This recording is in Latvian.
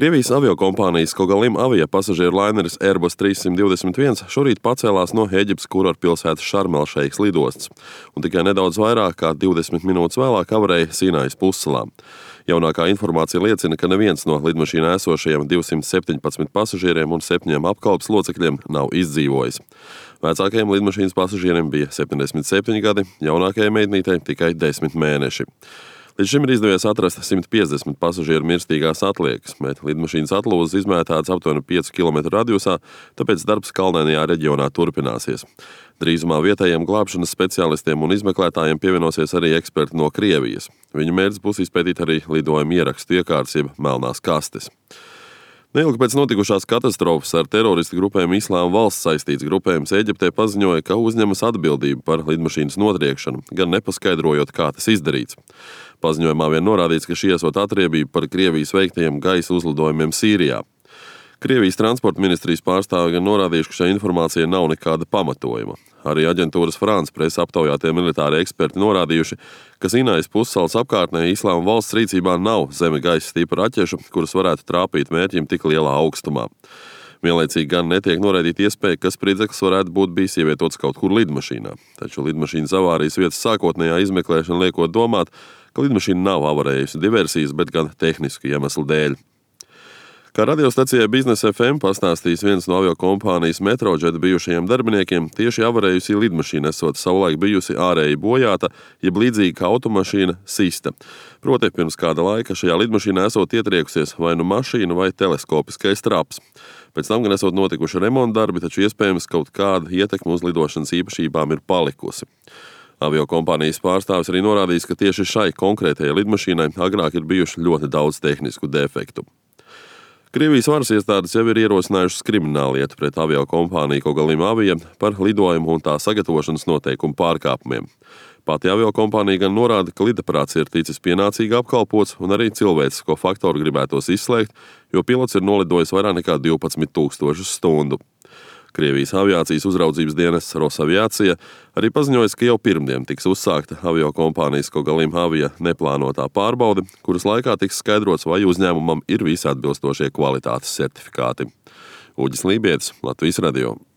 Krievijas aviokompānijas Kogalim avia pasažieru laineris Airbus 321 šorīt pacēlās no Ēģiptes kurortpilsētas Šarm-el-Šeikas lidostas, un tikai nedaudz vairāk kā 20 minūtes vēlāk avarēja Sinajas pussalā. Jaunākā informācija liecina, ka neviens no lidmašīnā esošajiem 217 pasažieriem un 7 apkalpes locekļiem nav izdzīvojis. Vecākajiem lidmašīnas pasažieriem bija 77 gadi, jaunākajai meitnītei tikai 10 mēneši. Līdz šim ir izdevies atrast 150 pasažieru mirstīgās atliekas, bet lidmašīnas atlūzas izmētātas aptuveni 5 km radiusā, tāpēc darbs kalnainajā reģionā turpināsies. Drīzumā vietējiem glābšanas speciālistiem un izmeklētājiem pievienosies arī eksperti no Krievijas. Viņu mērķis būs izpētīt arī lidojuma ierakstu iekārtas jeb melnās kastes. Neilgi pēc notikušās katastrofas ar teroristu grupēm Islāma valsts saistīts grupējums Ēģiptē paziņoja, ka uzņemas atbildību par lidmašīnas notriekšanu, gan nepaskaidrojot, kā tas izdarīts. Paziņojumā vien norādīts, ka šī esot atriebība par Krievijas veiktajiem gaisa uzlidojumiem Sīrijā. Krievijas transporta ministrijas pārstāvi gan norādījuši, ka šai informācijai nav nekāda pamatojuma. Arī aģentūras France presa aptaujātie militāri eksperti norādījuši, ka Sinajas pussalas apkārtnē Islāma valsts rīcībā nav zeme gaisa tipa raķešu, kuras varētu trāpīt mērķim tik lielā augstumā. Vienlaicīgi gan netiek noraidīta iespēja, ka spridzeklis varētu būt bijis ievietots kaut kur lidmašīnā. Taču lidmašīnas avārijas vietas sākotnējā izmeklēšana liekot domāt, ka lidmašīna nav avarējusi diversijas, bet gan tehnisku iemeslu dēļ. Kā radiostacijai Biznes FM pastāstījis viens no aviokompānijas Metrojet bijušajiem darbiniekiem, tieši avarējusi lidmašīna esot savulaik bijusi ārēji bojāta, jeb līdzīgi kā automašīna sista. Proti, pirms kāda laika šajā lidmašīnā esot ietriekusies vai nu mašīna vai teleskopiskais traps. Pēc tam gan esot notikuši remonta darbi, taču iespējams kaut kāda ietekme uz lidošanas īpašībām ir palikusi. Aviokompānijas pārstāvis arī norādījis, ka tieši šai konkrētajai lidmašīnai agrāk ir bijuši ļoti daudz tehnisku defektu. Krievijas varas iestādes jau ir ierosinājušas krimināllietu pret aviokompāniju Kogalim avia par lidojumu un tā sagatavošanas noteikumu pārkāpumiem. Pati aviokompānija gan norāda, ka lidaparāts ir ticis pienācīgi apkalpots un arī cilvēcisko faktoru gribētos izslēgt, jo pilots ir nolidojis vairāk nekā 12,000 stundu. Krievijas aviācijas uzraudzības dienests Rosaviācija arī paziņoja, ka jau pirmdien tiks uzsākta aviokompānijas Kogalim avia neplānotā pārbaude, kuras laikā tiks skaidrots, vai uzņēmumam ir visi atbilstošie kvalitātes certifikāti. Uģis Lībietis, Latvijas radio.